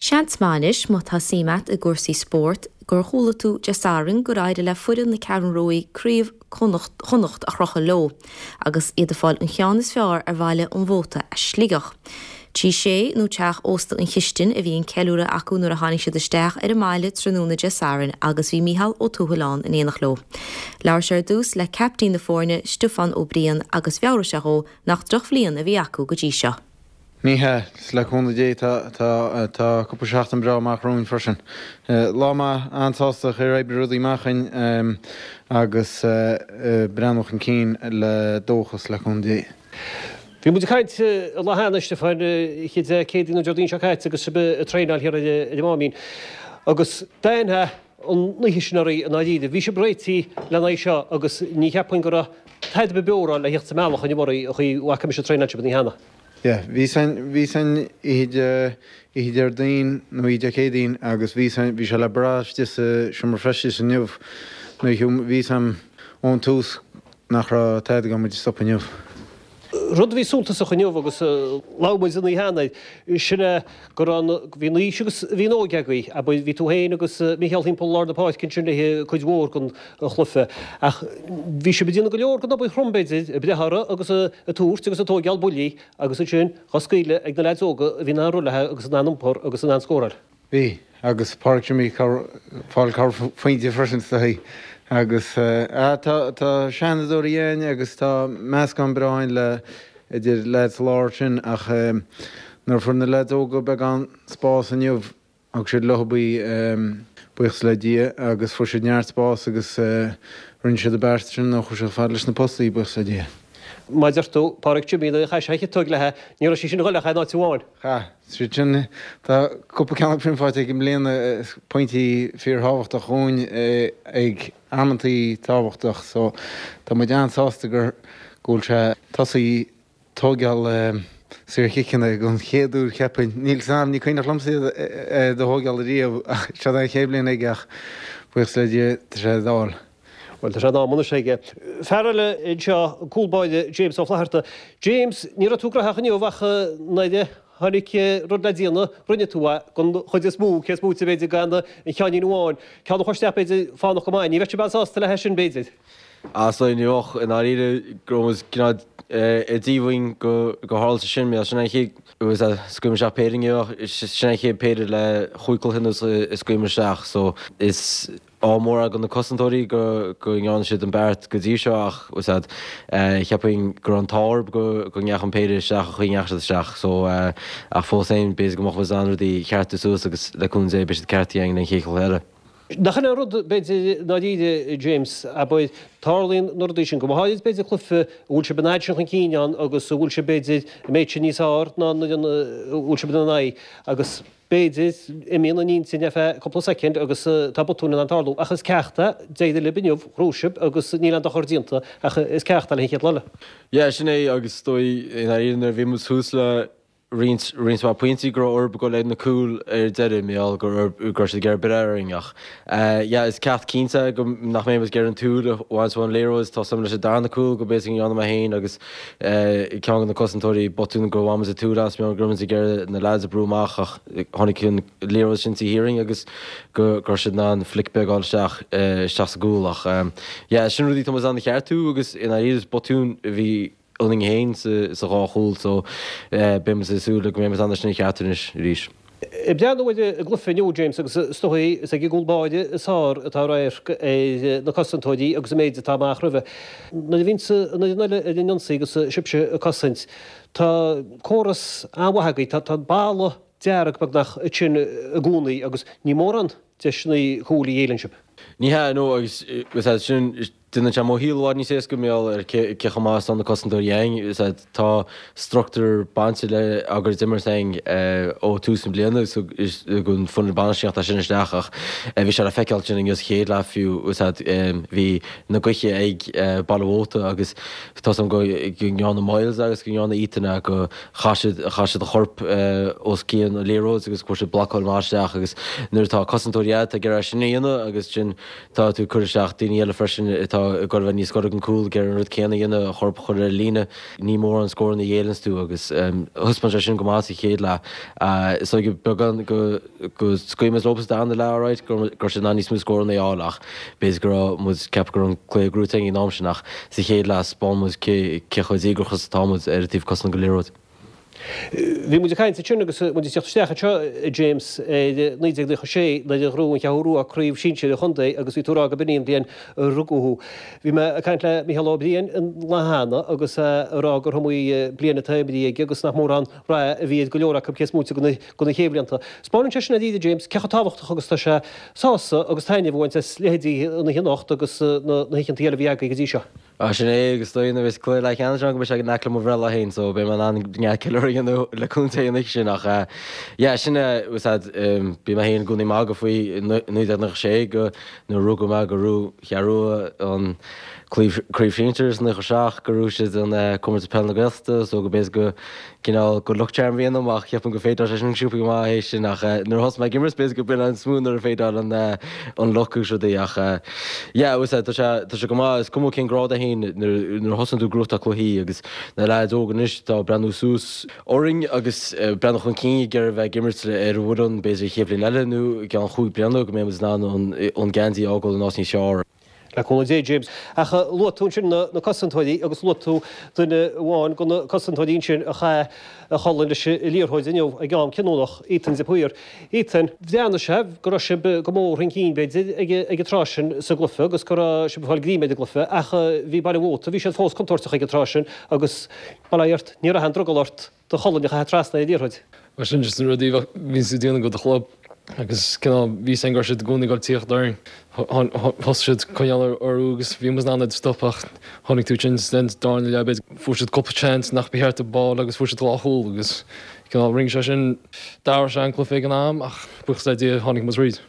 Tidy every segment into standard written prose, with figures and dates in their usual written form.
Seans maith anois, má tá suim a't i gcúrsaí spóirt, gur chuala tú Dé Sathairn gur éirigh le foireann na Ceathrún Ruaidh Craobh Chonnacht a chrochadh leo, agus iad ag fáil an cheann is fearr ar Bhaile an Mhóta as Sligeach. Tigh Shé nó Teach Ósta an Chistin a bhí an ceiliúradh acu nuair a tháinig siad isteach ar an mbaile tráthnóna Dé Sathairn agus bhí Mícheál Ó Tuathail ann in éineacht leo. Labhair sé ar dtús le caiptín na foirne, Stiofán Ó Briain agus mheabhraigh sé dhó nach drochbhliain a bhí acu go dtí seo. Ní hea, is le cúnamh Dé tá tá tá cúpla seachtain breá amach romhainn freisin. Lá maith, an-sásta ar oibrigh rudaí amach dúinn agus breathnú chun cinn le dóchas le cúnamh Dé. Bhí muid ag caint an lá cheana, a Stiofáin, oíche Dé Céadaoin nó Déardaoin seo caite agus sibh ag traenáil thiar ar an Máimín agus d'aithneofá an oíche sin oraibh i ndáiríre. Bhí sibh réitithe lena aghaidh seo agus ní cheapfainn go raibh tada ar bith beora le theacht sa mbealach inniu oraibh an chaoi a bhfaca mise ag traenáil sibh an oíche cheana. Yeah, bhí a fhios a'inn, bhí a fhios a'inn oíche Dé, oíche Déardaoin nó oíche Dé Céadaoin agus bhí a fhios a'inn, bhí sé le brath istigh sa seomra feistis inniu nuair a bhí a fhios a'm ón tús nach raibh tada ag goil muid a stopadh inniu. Rud a bhí suntasach inniu agus labhair muid an oíche cheana air, sin é go raibh an, bhí an aois agus bhí an óige agaibh, abair, bhí tú féin agus Micheál thimpeall lár na páirce ansin le cuid mhór den chluiche ach bhí sibh ag déanamh go leor den obair throm b'fhéidir, ag breith orthu agus ag tabhairt agus ag tóigeáil buillí agus ansin dhá scaoileadh ag na leaids óga a bhí in ann rith léi agus in ann iompar agus in ann scóráil. Bhí, agus Pádraic Jimmy ag fáil corrphointe freisin is dóigh agus tá tá seanfhondúirí againn agus tá meascán breá againn le idir leaids sa lár sin ach nuair a fuair na leaids óga beagán spás inniu thug siad leo í buíochas le Dia agus fuair siad neart spás agus rinne siad an beart sin nó chuir siad fad leis na postaí buíochas le Dia. Mar a deir tú, Pádraic Jimmy nuair a chaith sé a chiotóg léi ní raibh sí sin ag dul ach in áit amháin. Chaith. Siad sin, tá cúpla ceann acu sin faighte aige i mbliana, pointí fíorthábhachtach dhúinn ag amantaí tábhachtach so tá muid an-sásta gur go bhfuil sé tosaithe tóigeáil saorchiceanna don chéad uair cheapfainn. Níl 's a'm, ní cuimhneach liomsa iad do thóigeáil ariamh ach seo é an chéad bhliain aige ach buíochas le Dia tá sé ag dul. Bhuel, tá sé in am anois aige. Fear eile anseo, an cúl báire James Ó Flatharta. James, ní raibh tú graitheach inniu ach nuair a tháinig rud le déanamh, rinne tú é, den chuid is mó, cé is móite b'fhéidir gan an ceainnín amháin. Ceann a chur isteach b'fhéidir fánach go maith. Ní bheadh sibh an-sásta le sin b'fhéidir. Ah, so ní bheadh, i ndáiríre, go raibh muid cineál ar díomhaoin go tharla sé sin, mar sin an chéad, scaoil muid isteach péire inniu ach sin an chéad péire le chúig cluiche anuas a scaoil muid isteach so is ádh mór ag na cosantóirí go ndearna siad an beart go dtí seo ach cheapfainn go raibh an t-ádh orthu go ndeachaigh an péire isteach an chaoi a ndeachaigh siad isteach so ach fós féin b'fhéidir go mbeadh muid in ann rudaí a cheartú suas agus le cúnamh Dé beidh siad ceartaithe againn an chéad chluiche eile. Nach in é an rud b'fhéidir i ndáiríre James, abair, tarlaíonn na rudaí sin, go háirid b'fhéidir cluiche a bhfuil sibh an fhad sin chun cinn ann agus a bhfuil sibh b'fhéidir an méid sin níos fearr ná an fhoireann a bhfuil sibh ina n-aghaidh agus B'fhéidir, imíonn an intinn ar feadh cúpla soicind agus tá botúin in ann tarlú. Ach is ceacht é, d'éirigh libh inniu, ghnóthaigh sibh agus níl aon dochar déanta ach is ceacht é le an chéad lá eile. Yeah, sin é agus is dóigh i ndáiríre nuair a bhí muid thuas le roinnt, roinnt mhaith pointí go raibh orthu dul ag na cúil ar deireadh mar gheall go raibh, go raibh siad ag iarraidh breith orainn ach yeah, is ceacht cinnte é go nach mbeidh muid ag iarraidh an tsúil a bhaint ón liathróid, tá súil leis an darna cúl go b'fhéidir go ndearna mé féin agus ceann de na cosantóirí botún go bhfuil muid ag tsúil as, mar go raibh muid ag iarraidh na leaids a brú amach ach tháinig an liathróid sin taobh thiar dhínn agus go raibh siad in ann flic beag a fháil isteach isteach sa gcúl ach yeah sin rudaí atá muid in ann a cheartú agus i ndáiríre is botún a bhí ionainn féin sa dhá chúl so beidh muid ag súil go mbeidh muid in ann é sin a cheartú anois arís. Ag breathnú ar an gcluiche inniu, James, agus is dóigh, is ag an gcúl báire is fearr atá radharc ar na cosantóirí agus an méid atá amach roimhe. Nuair a bhíonns an fhoireann eile ar an ionsaí agus sibhse ag cosaint, tá córas an-mhaith agaibh, tá an balla dearg beagnach ansin i gcónaí agus ní mórán deiseanna cúil a ghéilleann sibh. Ní hea, no, agus sin, Déanann sé mo shaol i bhfad níos éasca mar gheall ar cé chomh maith is atá na cosantóirí againn. Tá struchtúr bainte le ár gcuid imirt againn ó tús na bliana so don foireann bainistíochta sin isteach ach bhí sé le feiceáil sin inniu sa chéad leath fiú. Bhí na gaoithe ag Baile Mhóta agus tá 's agam go ndearna Myles agus go ndearna Ethan go chaith siad chaith siad a chorp os cionn an liathróid agus chuir siad blocáil maith isteach agus nuair atá cosantóirí agat ag iarraidh sin a dhéanamh agus sin Tá tú ag cur isteach daoine eile freisin atá. atá ag dul a bheith níos gaire don cúl ag iarraidh an rud céanna a dhéanamh, a chorp a chur ar an líne. Ní mórán scóranna a ghéilleanns tú agus thaispeáin sé sin go maith sa chéad leath. Is dóigh beagán go scaoil muid leo sa darna leath alright, go raibh siad in ann níos mó scóranna a fháil ach b'fhéidir go raibh muid ag ceapadh go raibh an cluiche gnóthaithe againn ag an am sin ach sa chéad leath thaispeáin muid cé chomh díograiseach is atá muid ar an taobh cosanta den liathróid. Bhí muid ag caint ansin agus muid ag teacht isteach anseo, a James, ar 1996 nuair a ghnóthaigh an Cheathrú Rua craobh sinsir an chontae agus bhí tú ag rá go b'in í an bhliain a rugadh thú. Bhí mé ag caint le Micheál Ó Briain an lá cheana agus é ag rá gur iomaí bliain atá imithe aige agus nach mórán rath a bhí ar go leor acu cé is móite de na chéad bhlianta. Spáineann sé sin dáiríre, James, cé chomh tábhachtach agus atá sé sásamh agus taitneamh a bhaint as leithéidí an oíche anocht agus na hoícheanta eile a bhí agaibh go dtí seo. Ah sin é agus is dóigh nuair a bheas cluiche leathcheannais ann go mbeidh sé in aice le mo bhreithlá féin so beidh mé in ann neart ceiliúradh a dhéanamh le contae an oíche sin ach eh yeah sin é was that bhí mé féin i gcónaí ag magadh faoi 1996 go nuair a rugadh mé go raibh Cheathrú Rua an craobh craobh sinsir is 97 go raibh siad an comórtas peil na Gaeltachta so go b'fhéidir go cineál good luck charm a bhí ionam ach cheapfainn go féideáil sé sin sciobtha go maith théis sin ach nuair a thosaigh mé ag imirt b'fhéidir go b'in an is mó nuair a féideáil an an luck agus rudaí ach yeah was tá sé tá sé go maith is cuma cén grád é féin nuair nuair a thosaíonn tú ag gnóthachtáil cluichí agus na leaids óga anois atá ag breathnú suas orainn agus breathnú chun cinn ag iarraidh bheith ag imirt ar an bhfoireann b'fhéidir an chéad bhliain eile nó i gceann chúig bliana go mbeidh muid in ann an an geansaí a fhágáil in áit níos fearr. Le cúnamh Dé, James. Ach luaigh tú ansin na cosantóirí agus luaigh tú duine amháin de na cosantóirí ansin a chaith a cholainn leis an liathróid inniu ag am cinniúnach, Ethan de Paor. Ethan, bhreathnaigh sé go raibh sibh go mór chun cinn, b'fhéidir, ag an tráth sin sa gcluiche agus go raibh sibh ag fáil greim ar an gcluiche ach bhí Baile an Mhóta, bhí siad fós contúirteach ag an tráth sin agus, bail ó Dhia ort, ní raibh aon drogall ort. do cholainn a chaitheamh trasna ar an liathróid. Mar sin just na rudaí a bhíonns tú ag déanamh do do chlub agus cineál bhí fhios againn go raibh siad i gcónaí ag dul tíocht orainn. Thosaigh siad coinneáil orthu agus bhí muid in ann iad a stop ach tháinig tú ansin sa darna leath b'fhéidir fuair siad cúpla chance nach ba cheart dóibh a fháil agus fuair siad dhá chúl agus cineál rinne sé sin d'athraigh sé an cluiche ag an am ach buíochas le Dia tháinig muid thríd.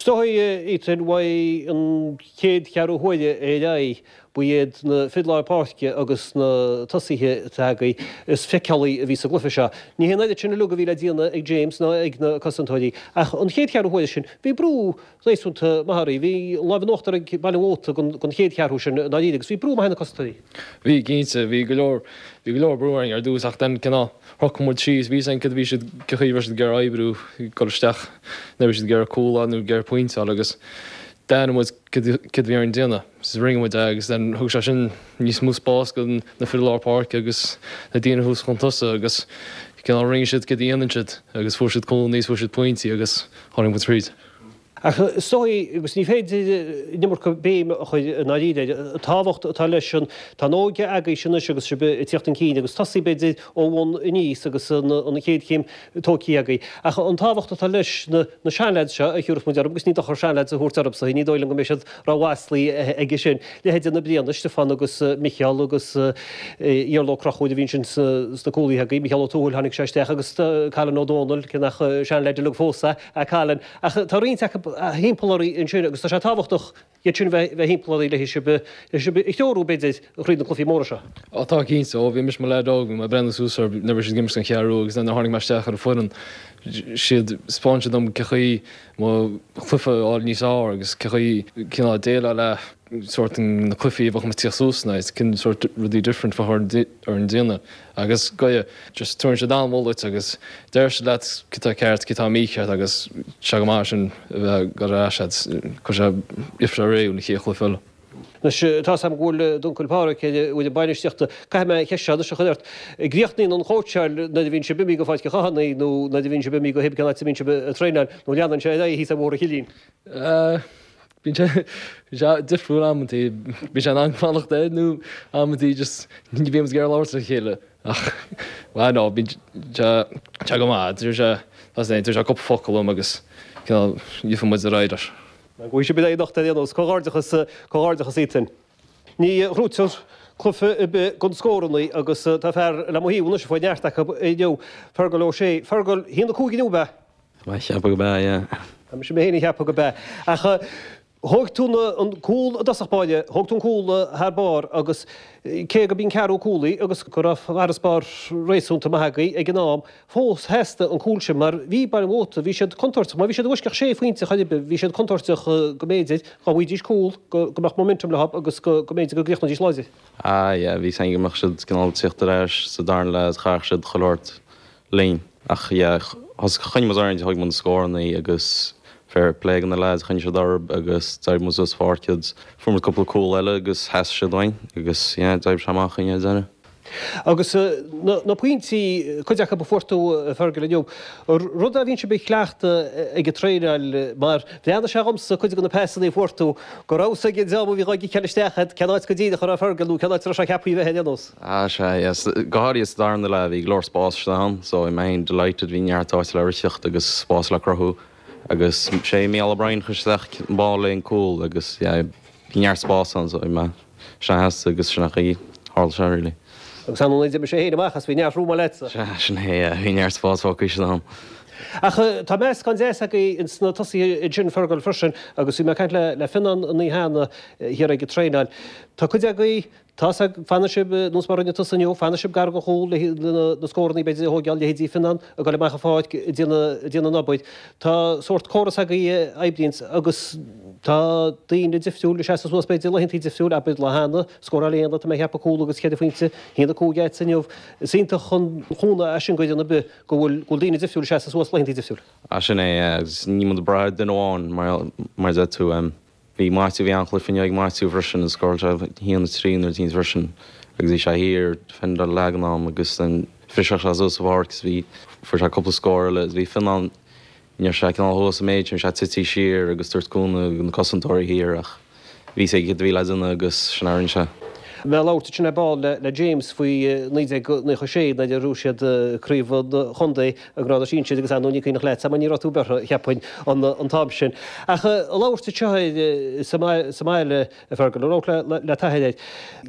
Is dóigh, Ethan, uaidh an chéad cheathrú huaire ar aghaidh, Ba iad na fir lár páirce agus na tosaithe atá agaibh is feiceálaí a bhí sa gcluiche seo. Ní hé an oiread sin uilig a bhí le déanamh ag James ná ag na cosantóirí ach an chéad cheathrú huaire sin bhí brú réasúnta maith oraibh. Bhí an lámh in uachtar ag Baile an Mhóta don chéad cheathrú sin i ndáiríre agus bhí brú maith ar na cosantóirí. Bhí, cinnte. Bhí go leor, bhí go leor brú orainn ar dtús ach then cineál shocraigh muid síos, bhí fhios againn cad a bhí siad, cén chaoi a raibh siad ag iarraidh oibriú, ag dul isteach, nuair a bhí siad ag iarraidh cúl a fháil nó ag iarraidh pointe a fháil agus d'aithin muid cad a bhí orainn déanamh. So rinne muid é agus then thug sé sin níos mó spás go na fir lár páirce agus na daoine thuas chun tosaigh agus cineál rinne siad cad a dhéanann siad agus fuair siad cúlanna agus fuair siad pointí agus tháinig muid thríd. Ach is dóigh, agus ní féidir an iomarca béim a chur i ndáiríre air, an tábhacht atá leis an, tá an óige agaibhse anois agus sibh ag tíocht chun cinn agus tosaí b'fhéidir ó bhun aníos agus an chéad chéim tógtha agaibh. Ach an tábhacht atá leis na seanleaids seo a thiúrfas muid orthu, agus ní dochar seanleaids a thabhairt orthu, ní dóigh liom go mbeidh siad rómhaslaithe aige sin. Leithéide na Brianaigh, Stiofán agus Micheál agus Iarla Ó Conchúir a bhí ansin sna cúlaithe agaibh, Micheál Ó Tuathail, tháinig sé isteach agus Colin Ó Dónaill, cé nach seanleaid uilig fós é Colin. Ach tá roinnt acu thimpeall oraibh ansin agus tá sé tábhachtach iad sin bheith thimpeall oraibh le sibh a threorú, b'fhéidir, thríd na cluichí móra seo. Á tá cinnte, ó bhí mise i mo leaid óg bhí mé ag breathnú suas orthu nuair a bhí siad ag imirt don Cheathrú Rua agus nuair a tháinig mé isteach ar an foireann siad 'spáin siad dom cén chaoi mo chluiche a fháil níos fhearr agus cén chaoi cineál déileáil le sórt na cluichí a bheadh muid ag tíocht suas ina aghaidh, cén sórt rudaí different a bheadh orainn déanamh agus goidhe just tabharann siad an-mholadh duit agus deir siad leat cad tá ceart, cad tá mícheart agus tá sé go maith sin a bheith ag dul ar ais agat, cuir sé, gheobhaidh sé réidh don chéad chluiche eile. Anois, tá 's agam go bhfuil d'uncail Páraic ar an bhfoireann bainistíochta. Caithfidh mé an cheist seo anois a chur ort. Críochnaíonn an chóitseáil nuair a bhíonn sibh imithe go Pháirc an Chathánaigh nó nuair a bhíonn sibh imithe go hib cén áit a mbíonn sibh ag traenáil nó leanann sé ar aghaidh thíos ar Bhóthar an Chillín? Bíonn sé bíonn sé difriúil amantaí. Bíonn sé in ann fanacht air nó amantaí just ní bhíonn muid ag iarraidh labhairt le chéile. Ach, bhuel no, bíonn sé sé go maith. Deir sé, tá sé, deir sé cúpla focal liom agus cineál gheobhaidh muid ar aghaidh leis. Gabhfaidh sibh ar aghaidh anocht ar aon nós. Comhghairdeachas, comhghairdeachas Ethan. Ní ghnóthaítear cluiche ar bith gan scórannaí agus tá fear le mo thaobh anois a fuair neart acu inniu, Fergal O'Shea. Fergal, 1-5 inniu, ab ea? Tá mé ag ceapadh go b'ea, yeah. Tá mise mé féin ag ceapadh go b'ea. Ach. Thóg tú an cúl i dtosach báire, thóg tú an cúl thar barr agus cé go b'í an ceathrú cúl í agus go raibh farasbarr réasúnta maith agaibh ag an am, fós theastaigh an cúl sin mar bhí Baile an Mhóta, bhí siad contúirteach, má bhí siad i bhfoisceacht sé phointe chor ar bith, bhí siad contúirteach go mb'fhéidir dá bhfaighidís cúl go mbeadh momentum leo agus go mb'fhéidir go gcríochnóidís láidir. Ah yeah, bhí 's againn go mbeadh siad cineál ag tíocht ar ais sa darna leath is chaithfeadh siad chuile shórt linn. Ach yeah, thosaigh, choinnigh muid orainn, thóg muid na scórannaí agus fair play do na lads, choinnigh siad orthu agus d'éirigh muid suas sa pháirc agus fuair muid cúpla cúl eile agus sheas siad uainn agus yeah, d'oibrigh sé amach dúinn ar deireadh. Agus na pointí, cuid acu a fuair tú, a Fergal, inniu, rud a bhíonn sibh ag cleachtadh ag an traenáil mar bhreathnaigh sé dhomsa cuid de na pasanna a fuair tú go raibh 'fhios ag an dream a bhí dhá gciceáil isteach agat cén áit go díreach a raibh Fergal nó cén áit a raibh sé ceaptha a bheith ar aon nós. Ah sea, yes. Go háirithe sa darna leath, bhí go leor spáis istigh ann, so bhí mé féin delighted, bhí neart áite le ritheacht agus spás le cruthú agus sé Mícheál O'Brien chuir isteach an ball le an cúl agus yeah, bhí neart spás ann so bhí mé, sin a theastaigh agus sin an chaoi tharla sé really. Agus an d'imigh sé féin amach as, bhí neart rúma leatsa. Sea, sin é, yeah, bhí neart spás fágtha istigh ann. Ach tá meascán deas agaibh ins na tosaithe ansin, Fergal, freisin, agus bhí mé ag caint le le Fionnán an oíche cheana thiar ag an traenáil. Tá cuid agaibh Tá 's ag, fanann sibh, nós mar a rinne tusa inniu, fanann sibh gar don chúl le na scórannaí b'fhéidir a thóigeáil, leithéidí Fionnán ag dul amach an pháirc ag déanamh an obair. Tá sórt córas agaibh a oibríonns agus tá daoine difriúil ag seasamh suas b'fhéidir laethantaí difriúil, abair lá cheana, scóráil Éanna, tá mé ag ceapadh cúl agus cheithre phointe, 1-5 agatsa inniu. Is iontach an cúnamh é sin d'fhoireann ar bith go bhfuil go bhfuil daoine difriúil ag seasamh suas laethantaí difriúil. Ah sin é, agus níl muid ag brath ar duine amháin mar a deir tú. Bhí Maitiú, bhí an-chluiche inniu ag Maitiú freisin, scóráil sé 1, 3 nuair a bhí freisin agus bhí sé thiar defendáil leath den am agus then bhriseadh sé suas sa pháirc agus bhí, fuair sé cúpla scór eile agus bhí Fionnán, ní raibh sé cineál thuas an méid sin, bhí sé tití siar agus tabhairt cúnamh do na cosantóirí thiar ach bhí 'fhios aige céard a bhí le déanamh agus sin a rinne sé. Mé ag labhairt ansin ar ball le James faoi 1996 nuair a ghnóthaigh siad craobh an chontae i ngrád sinsir agus ar ndóigh ní cuimhneach leatsa mar ní raibh tú beirthe, cheapfainn, an t-am sin. Ach ag labhairt anseo air sa mbaile, a Fergal, ag labhairt le t'athair air,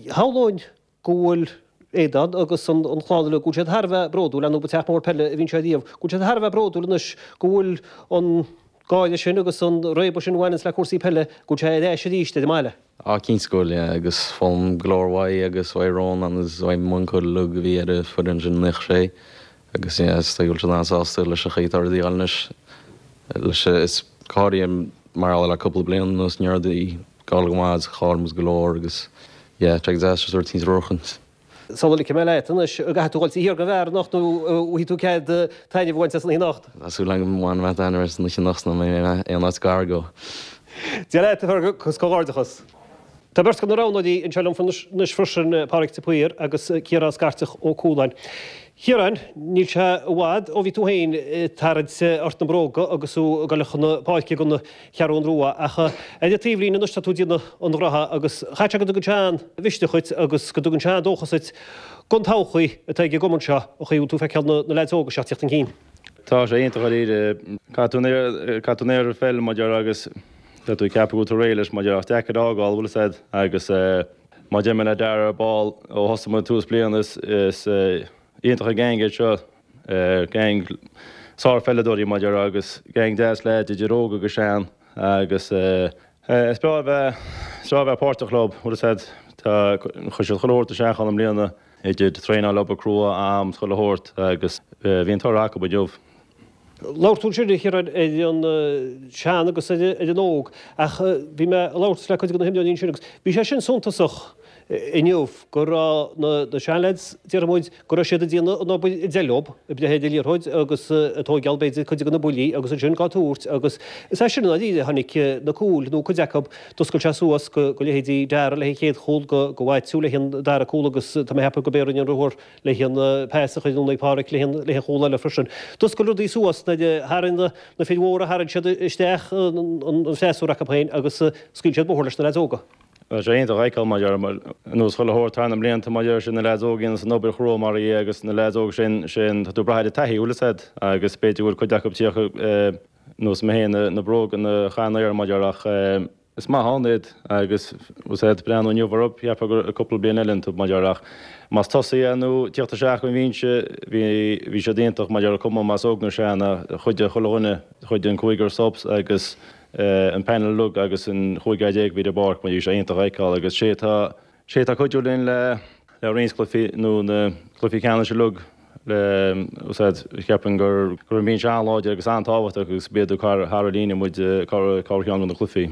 shamhlóinn go bhfuil Aodán agus an chlann uilig, go bhfuil siad thar a bheith bródúil, ar ndóigh ba teach mór peile a bhí anseo riamh, go bhfuil siad thar a bheith bródúil anois go bhfuil an gáire sin agus an réabadh sin a bhaineanns le cúrsaí peile, go bhfuil sé ar ais arís ar an mbaile. Á, cinnte go bhfuil, yeah, agus foghlaim go leor uaidh agus uaidh Rónán agus uaidh m'uncail uilig a bhí ar an foireann sin i 96 agus yeah, is dóigh go bhfuil siad an-sásta leis an chaoi atá rudaí ag dul anois leis is go háirithe mar gheall le cúpla bliain anuas ní raibh rudaí ag dul go maith agus chaill muid go leor agus yeah, tá sé go deas just rud éicint a bhuachaint. Sula ligfidh mé leat anois, an gcaithfidh tú dhul thiar don bheár anocht nó an bhfaighidh tú cead taitneamh a bhaint as an oíche anocht? Tá súil agam go mbainfidh mé taitneamh as an oíche anocht nó mbeidh mé aon áit gar dó. Dia leat, a Fergal, agus comhghairdeachas. Tá beirt de na roghnóirí anseo liom anois freisin, Pádraig de Paor agus Ciarán Scairteach Ó Cualáin. Chiaráin, níl sé i bhfad ó bhí tú féin ag tarraingt ort na bróga agus tú ag dul chun na páirce don Cheathrún Rua, ach ar an taobhlíne anois tá tú ag déanamh an ghnótha agus chaithfeadh sé go dtugann sé an-mhisneach dhuit agus go dtugann sé an-dóchas duit don todhchaí atá ag an gcumann seo, an chaoi a bhfuil tú ag feiceáil na leaids óga seo ag tíocht chun cinn. Tá sé iontach dáiríre. Caithfidh tú an oiread pheil mar a déarfá agus tá tú ag ceapadh go bhfuil tú réidh leis mar a déarfá ach deacair a fhágáil, bhfuil fhios a'd, agus mar a deir mé le Dara ar ball ó thosaigh muid tús bliana is iontach an gang iad seo, gang sár-pheileadóirí mar a déarfá agus gang deas leaids idir óg agus sean agus is breá a bheith is breá a bheith páirteach leo, bhfuil fhios a'd, tá chuir siad chuile shórt isteach ann i mbliana idir traenáil, obair crua, am, chuile shórt agus bhí an toradh acu inniu. Labhair tú ansin, a Chiaráin, ar an sean agus ar an óg, ach bhí mé ag labhairt le cuid de na himreoirí ansin agus bhí sé sin suntasach inniu go raibh na seanleaids, déarfaidh muid, go raibh siad ag déanamh an obair ag dul leo, ag breith ar an liathróid agus ag tóigeáil b'fhéidir cuid de na buillí agus ansin á tabhairt agus is as sin i ndáiríre a tháinig na cúil nó cuid acu, d'oscail sé suas go leithéidí Dara leis an chéad chúl, go Mhaitiú leis an dara cúl agus tá mé ag ceapadh go b'é a rinne an ruathar leis an pas a chuir anonn ag Páraic leis an chúl eile freisin. D'oscail rudaí suas nuair a tharraing na fir mhóra, tharraing siad isteach an freasúra acu féin agus scaoil siad bóthar leis na leaids óga. Tá sé iontach a fheiceáil mar a déarfá, ar nós chuile shórt thar na mblianta mar a déarfá sin na leaids óga a dhéanas an obair chrua mar dhea agus na leaids óga sin, sin, tá tú ag brath ar an taithí, bhfuil fhios a'd, agus b'fhéidir go bhfuil cuid acu ag tíocht nós mé féin na bróga a chaitheamh mar a déarfá ach Is maith ann iad agus bhfuil fhios a'd breathnú inniu orthu, cheapfá gur cúpla bliain eile iontu, mar a déarfá, ach más tosaithe nó tíocht isteach ón bhinse, bhí, bhí siad iontach, mar a déarfá, cuma más óg nó sean, chuidigh chuile dhuine, chuidigh an cúigear subs agus. an panel uilig agus an 15 fhear a bhí ar an bpáirc, bhí sé iontach a fheiceáil agus sé atá sé atá ag cuidiú linn le le roinnt cluichí nó na cluichí ceannais uilig le úsáid cheapfainn gur go raibh an binse an-láidir agus an-tábhachtach agus b'iad thar thar an líne muid corrcheann de na cluichí.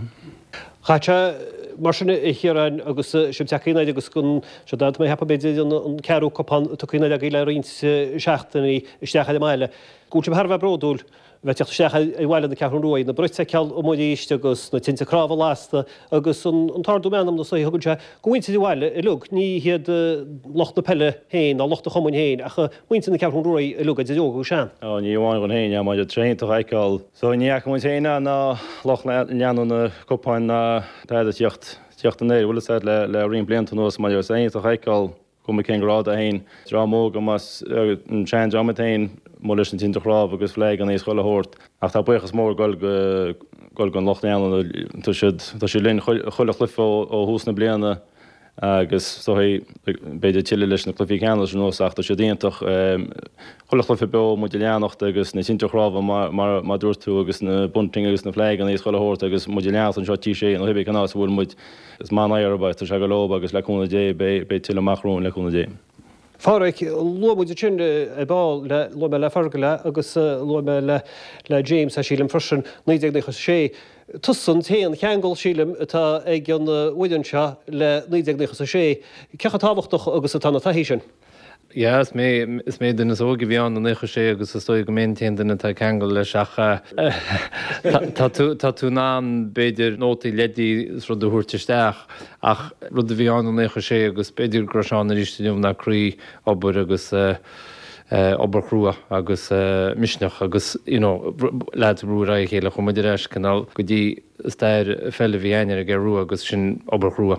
Chaith sé mar sin a Chiaráin agus sibh tagtha aniar agus go sé tá mé ag ceapadh b'fhéidir an ceathrú cupán tugtha aniar agaibh le roinnt seachtainí isteach ar an mbaile. Go bhfuil sibh thar a bheith bródúil a bheith ag teacht isteach ar bhaile na Ceathrún Rua, na broit a fheiceáil amuigh arís agus na tinte cnámha lasta agus an t-ardú meanmna is a thugann sé do mhuintir an bhaile uilig, ní hiad lucht na peile féin ná lucht an chumainn féin ach muintir na Ceathrún Rua uilig, idir óg agus sean. Ó, ní amháin dhúinn féin, mar tá sé iontach a fheiceáil. So ní fhaca muid féin ná lucht leanúna na cupáin ná tada tíocht tíocht anoir, bhfuil fhios a'd, le le roinnt blianta anuas mar tá sé iontach a fheiceáil cuma cén grád é féin, dream óg más an seandream iad féin, amuigh leis na tinte chnámh agus flaganna is chuile shórt. Ach tá buíochas mór ag goil go goil don lucht leanúna, tá siad tá siad linn chuile chluiche ó ó thús na bliana agus is dóigh b'fhéidir tuilleadh leis na cluichí ceannais anuas ach tá siad iontach. Chuile chluiche beo muid ag leanacht agus na tinte chnámha mar mar a dúirt tú agus na bunting agus na flaganna is chuile shórt agus muid ag leanacht anseo T6 nó cibé cén áit a bhfuil muid. Is maith an oidhre é, tá sé go leor agus le cúnamh Dé beidh tuilleadh amach romhainn le cúnamh Dé. A Pháraic, luaigh muid ansin ar ball le, luaigh mé le Fergal é agus luaigh mé le, le James é sílim freisin, 1996. Tusa an t-aon cheangal sílim atá ag an bhfoireann seo le 1996. Cé chomh tábhachtach agus atá na taithí sin? Yeah, is mé, is mé an duine is óige a bhí ann i 96 agus is dóigh go mé an t-aon duine atá ag ceangal leis ach tá tú, tá tú in ann b'fhéidir nótaí, leidí is rud a thabhairt isteach ach rud a bhí ann i 96 agus b'fhéidir go raibh sé ann arís inniu ná croí, obair agus obair chrua agus misneach agus you know lads ag brú ar aghaidh a chéile. Chuaigh muid ar ais cineál go dtí stair pheile a bhí againn ar an gCeathrú Rua agus sin obair chrua.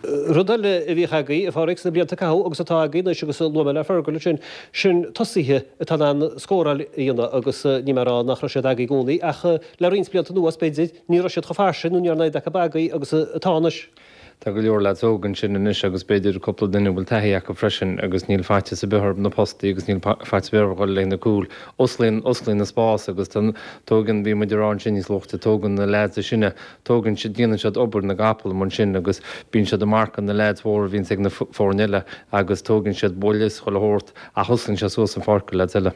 Rud eile a bhíodh agaibh, a Pháraic, sna blianta a caitheadh agus atá agaibh anois agus a luaigh mé le Fergal ansin, sin tosaithe atá in ann scóráil a dhéanamh agus níl mé ag rá nach raibh siad agaibh i gcónaí ach le roinnt blianta anuas, b'fhéidir, ní raibh siad chomh fairsing nó ní raibh an oiread acu agaibh agus atá anois. Tá go leor leaids óga ansin anois agus b'fhéidir cúpla duine a bhfuil taithí acu freisin agus níl faitíos ar bith orthu na postaí agus níl faitíos ar bith orthu dhul le na cúil. Osclaíonn, osclaíonn an spás agus tá, tógann, bhí muid ag rá ansin níos luaithe, tógann na leaids is sine, Tógann siad, déanann siad obair na gcapall amuigh ansin agus bíonn siad ag marcadh na leaids mhóra a bhíonns ag na foirne eile agus tógann siad buille is chuile shórt ach osclaíonn sé suas an pháirc do leaids eile.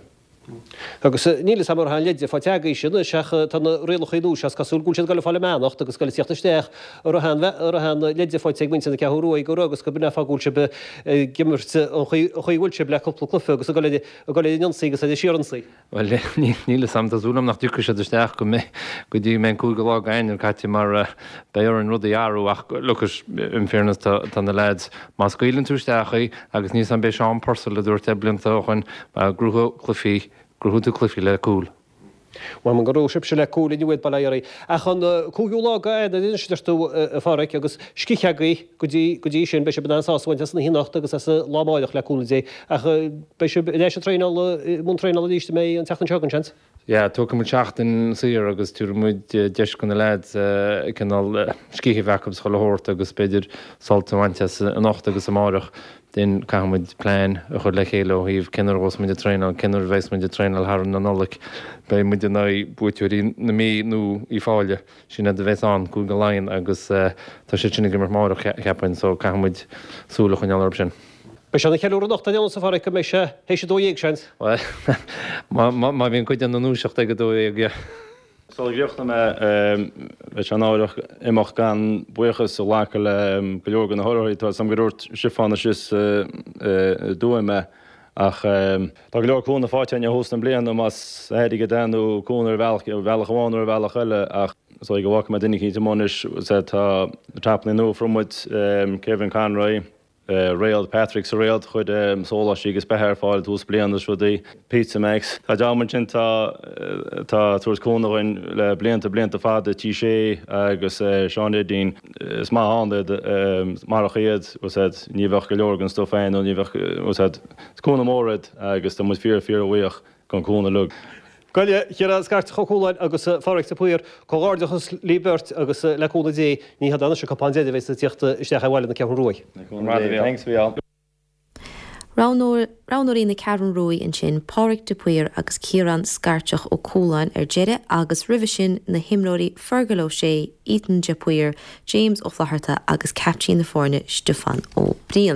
Agus níl fhios a'm an raibh aon leide faighte agaibhse anois ach tá na rialacha nua seo is cosúil go bhfuil siad ag dul ag fáil a mbeannacht agus ag dul ag tíocht isteach an raibh aon an raibh aon leide faighte ag muintir na Ceathrún Rua go raibh agus go b'in é an fáth go bhfuil sibh ag imirt an chaoi a bhfuil sibh le cúpla cluiche agus ag dul ar ag dul ar an ionsaí agus ar an síorionsaí. Bhuel, níl fhios a'm, tá súil a'm nach dtiocfaidh siad isteach go mbeidh, go dtí go mbeidh an cúigiú lá d'Eanáir caite mar beidh orainn rudaí a athrú ach look it, in fairness tá, tá na lads, má scaoileann tú isteach í agus níl fhios a'm b'é Seán Purcell a dúirt é blianta ó shoin, gnóthaigh cluichí, gnóthaíonn tú cluichí le cúil. Mh'anam go raibh sibhse le cúil inniu Bail ó Dhia oraibh. Ach an cúigiú lá d'Eanáir anois a deir tú, a Pháraic, agus scíth agaibh go dtí, go dtí sin, beidh sibh in ann sásamh a bhaint as an oíche anocht agus as an lá amáireach le cúnamh Dé. Ach beidh sibh ar ais ag traenáil, i mbun traenála arís an mbeidh an tseachtain seo chugainn, seans? Yeah, tógfaidh muid seachtain saor agus tabharfaidh muid deis do na lads cineál scíth a bheith acu is chuile shórt agus b'fhéidir sult a bhaint as anocht agus amáireach. Then caithfidh muid plean a chur le chéile ó thaobh cén uair a ghabhfas muid ag traenáil, cén uair a bheas muid ag traenáil thar an Nollaig. Beidh muid in aghaidh buaiteoirí na Mí nó Uíbh Fhailí, sin iad a bheas ann, Cúige Laighean agus tá siad sin ag imirt amáireach cheapfainn so caithfidh muid súil a choinneáil orthu sin. Beidh sé ina cheiliúradh anocht ar aon nós a Pháraic go mbeidh sé théis 12 seans. Bhuel, má bhíonn cuid den na ndúiseacht ag 12, yeah. Sula gcríochnóidh mé, bheadh sé náireach imeacht gan buíochas a ghlacadh le go leor de na hurraitheoirí. Tá 'fhios a'm gur dhúirt Stiofán síos i dTuaim é, ach tá go leor cúnamh faighte againn ó thús na bliana, más airgead é nó cúnamh ar bhealach, ar bhealach amháin nó ar bhealach eile, ach is dóigh go bhfágfaidh mé duine eicínt amuigh anois, tá na tapanna nua a fuair muid, Kevin Conroy, Réalt, Patrick sa Réalt, chuir sóláistí agus beatha ar fáil i dtús bliana is rudaí. Pizza Max. Tá dream ansin atá atá ag tabhairt cúnamh dhuinn le blianta, blianta fada, T Sé agus Seán Eidín. Is maith ann iad, marach iad, bhfuil 's a'd, ní bheadh go leor den stuif againn nó ní bheadh, bhfuil 's a'd, is cúnamh mór iad agus tá muid fíor, fíor bhuíoch den cúnamh uilig. Gabh i leith, a Chiaráin Scairteach Ó Cualáin agus a Pháraic de Paor, comhghairdeachas libh beirt agus le cúnamh Dé ní hé anois an cupán deiridh a bheas ag tíocht isteach ar bhaile na Ceathrún Ruaidh. Le cúnamh Dé. Thanks, a Mhícheáil. Roghnóirí na Ceathrún Ruaidh ansin, Pádraic de Paor agus Ciarán Scairteach Ó Cualáin ar deireadh agus roimhe sin na himreoirí Fergal Ó Sé, Ethan de Paor, James Ó Flatharta agus caiptín na foirne Stiofán Ó Briain.